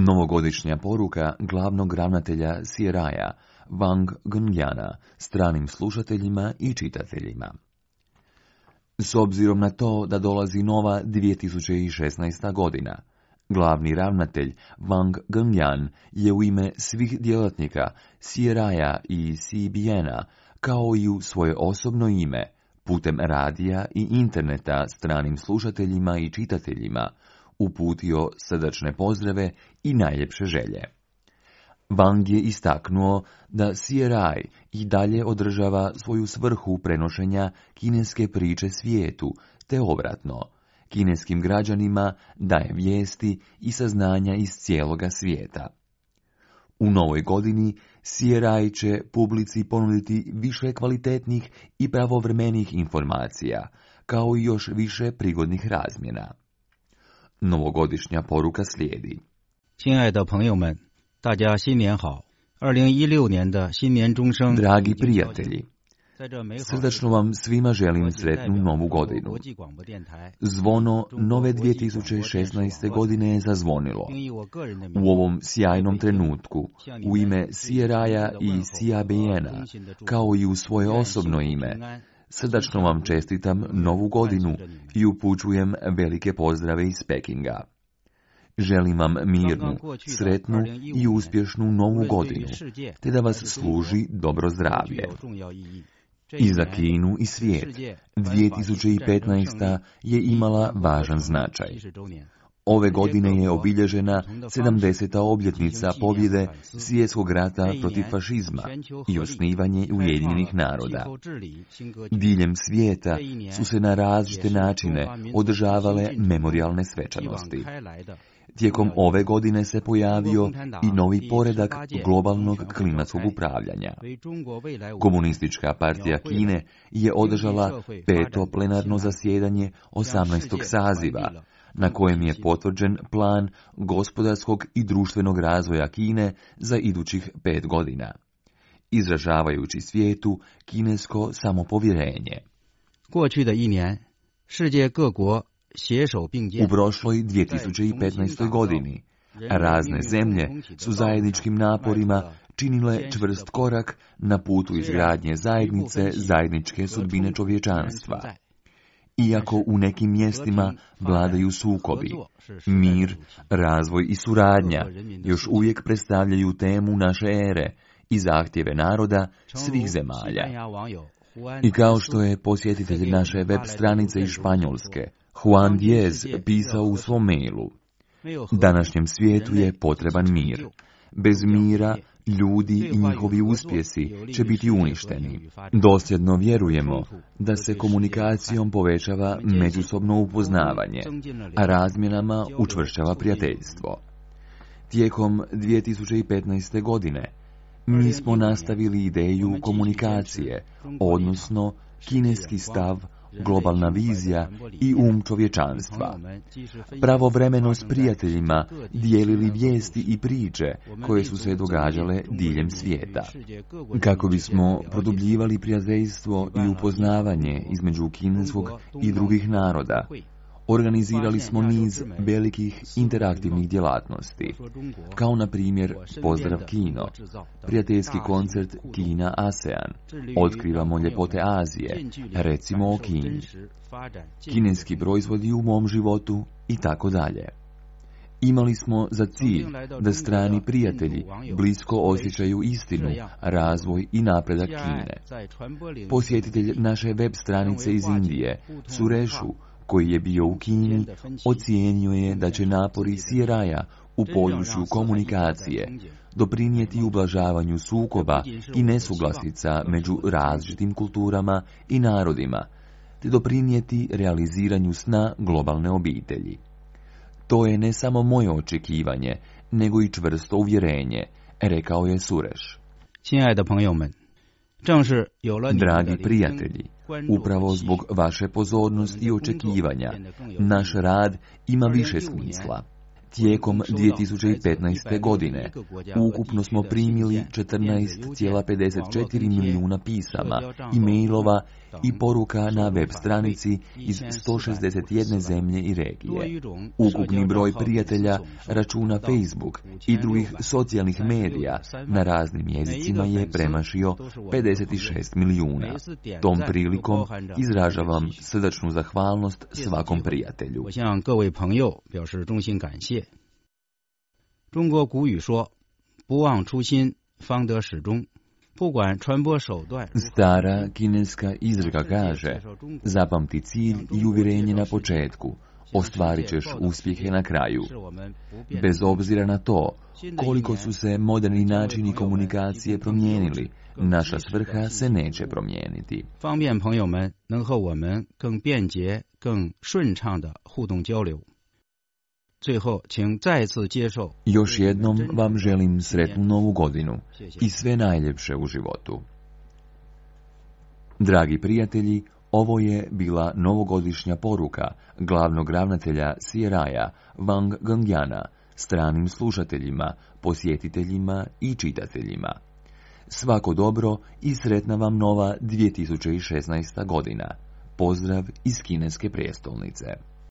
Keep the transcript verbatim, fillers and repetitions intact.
Novogodišnja poruka glavnog ravnatelja C R I-a Wang Gunjana stranim slušateljima i čitateljima. S obzirom na to da dolazi nova dvije tisuće šesnaesta. godina, glavni ravnatelj Wang Gunjan je u ime svih djelatnika C R I-a i C B N-a, kao i u svoje osobno ime, putem radija i interneta stranim slušateljima i čitateljima, uputio srdačne pozdrave i najljepše želje. Wang je istaknuo da C R I i dalje održava svoju svrhu prenošenja kineske priče svijetu, te obratno, kineskim građanima daje vijesti i saznanja iz cijeloga svijeta. U novoj godini C R I će publici ponuditi više kvalitetnih i pravovremenih informacija, kao i još više prigodnih razmjena. Novogodišnja poruka slijedi. 亲爱的朋友们，大家新年好。二零一六年的新年钟声。 Dragi prijatelji, srdačno vam svima želim sretnu novu godinu. Zvono nove dvije tisuće šesnaeste. godine je zazvonilo. U ovom sjajnom trenutku, u ime C R I-a i C B N-a, kao i u svoje osobno ime, srdačno vam čestitam novu godinu i upućujem velike pozdrave iz Pekinga. Želim vam mirnu, sretnu i uspješnu novu godinu, te da vas služi dobro zdravlje. I za Kinu i svijet, dvije tisuće petnaesta. je imala važan značaj. Ove godine je obilježena sedamdeseta obljetnica pobjede svjetskog rata protiv fašizma i osnivanje Ujedinjenih naroda. Diljem svijeta su se na različite načine održavale memorijalne svečanosti. Tijekom ove godine se pojavio i novi poredak globalnog klimatskog upravljanja. Komunistička partija Kine je održala peto plenarno zasjedanje osamnaestog saziva, na kojem je potvrđen plan gospodarskog i društvenog razvoja Kine za idućih pet godina, izražavajući svijetu kinesko samopovjerenje. U prošloj dvije tisuće petnaestoj. godini razne zemlje su zajedničkim naporima činile čvrst korak na putu izgradnje zajednice zajedničke sudbine čovječanstva. Iako u nekim mjestima vladaju sukobi, mir, razvoj i suradnja još uvijek predstavljaju temu naše ere i zahtjeve naroda svih zemalja. I kao što je posjetitelj naše web stranice iz Španjolske, Juan Diez, pisao u svom mailu, današnjem svijetu je potreban mir. Bez mira, ljudi i njihovi uspjesi će biti uništeni. Dosljedno vjerujemo da se komunikacijom povećava međusobno upoznavanje, a razmjenama učvršćava prijateljstvo. Tijekom dvije tisuće petnaeste. godine mi smo nastavili ideju komunikacije, odnosno kineski stav, globalna vizija i um čovječanstva. Pravovremeno s prijateljima dijelili vijesti i priče koje su se događale diljem svijeta. Kako bismo produbljivali prijateljstvo i upoznavanje između kineskog i drugih naroda, organizirali smo niz velikih interaktivnih djelatnosti, kao na primjer Pozdrav Kino, prijateljski koncert Kina ASEAN, Otkrivamo ljepote Azije, recimo o Kini, kineski proizvodi u mom životu i tako dalje. Imali smo za cilj da strani prijatelji blisko osjećaju istinu, razvoj i napredak Kine. Posjetitelj naše web stranice iz Indije, Surešu, koji je bio u Kini, ocijenio je da će napori C R I-a u području komunikacije doprinijeti ublažavanju sukoba i nesuglasica među različitim kulturama i narodima, te doprinijeti realiziranju sna globalne obitelji. To je ne samo moje očekivanje, nego i čvrsto uvjerenje, rekao je Sureš. Dragi prijatelji, upravo zbog vaše pozornosti i očekivanja, naš rad ima više smisla. Tijekom dvije tisuće petnaeste. godine ukupno smo primili četrnaest zarez pedeset četiri milijuna pisama, e-mailova i poruka na web stranici iz sto šezdeset jedne zemlje i regije. Ukupni broj prijatelja, računa Facebook i drugih socijalnih medija na raznim jezicima je premašio pedeset šest milijuna. Tom prilikom izražavam srdačnu zahvalnost svakom prijatelju. 中国古语说：“不忘初心，方得始终。” Stara kineska izreka kaže: zapamti cilj i uvjerenje na početku, ostvarit ćeš uspjehe na kraju. Bez obzira na to koliko su se moderni načini komunikacije promijenili, naša svrha se neće promijeniti. 方便朋友们能和我们更便捷、更顺畅的互动交流。 最后，请再次接受。 Još jednom vam želim sretnu novu godinu i sve najljepše u životu. Dragi prijatelji, ovo je bila novogodišnja poruka glavnog ravnatelja C R I-a Wang Gengyana stranim slušateljima, posjetiteljima i čitateljima. Svako dobro i sretna vam nova dvije tisuće šesnaesta. godina. Pozdrav iz kineske prijestolnice.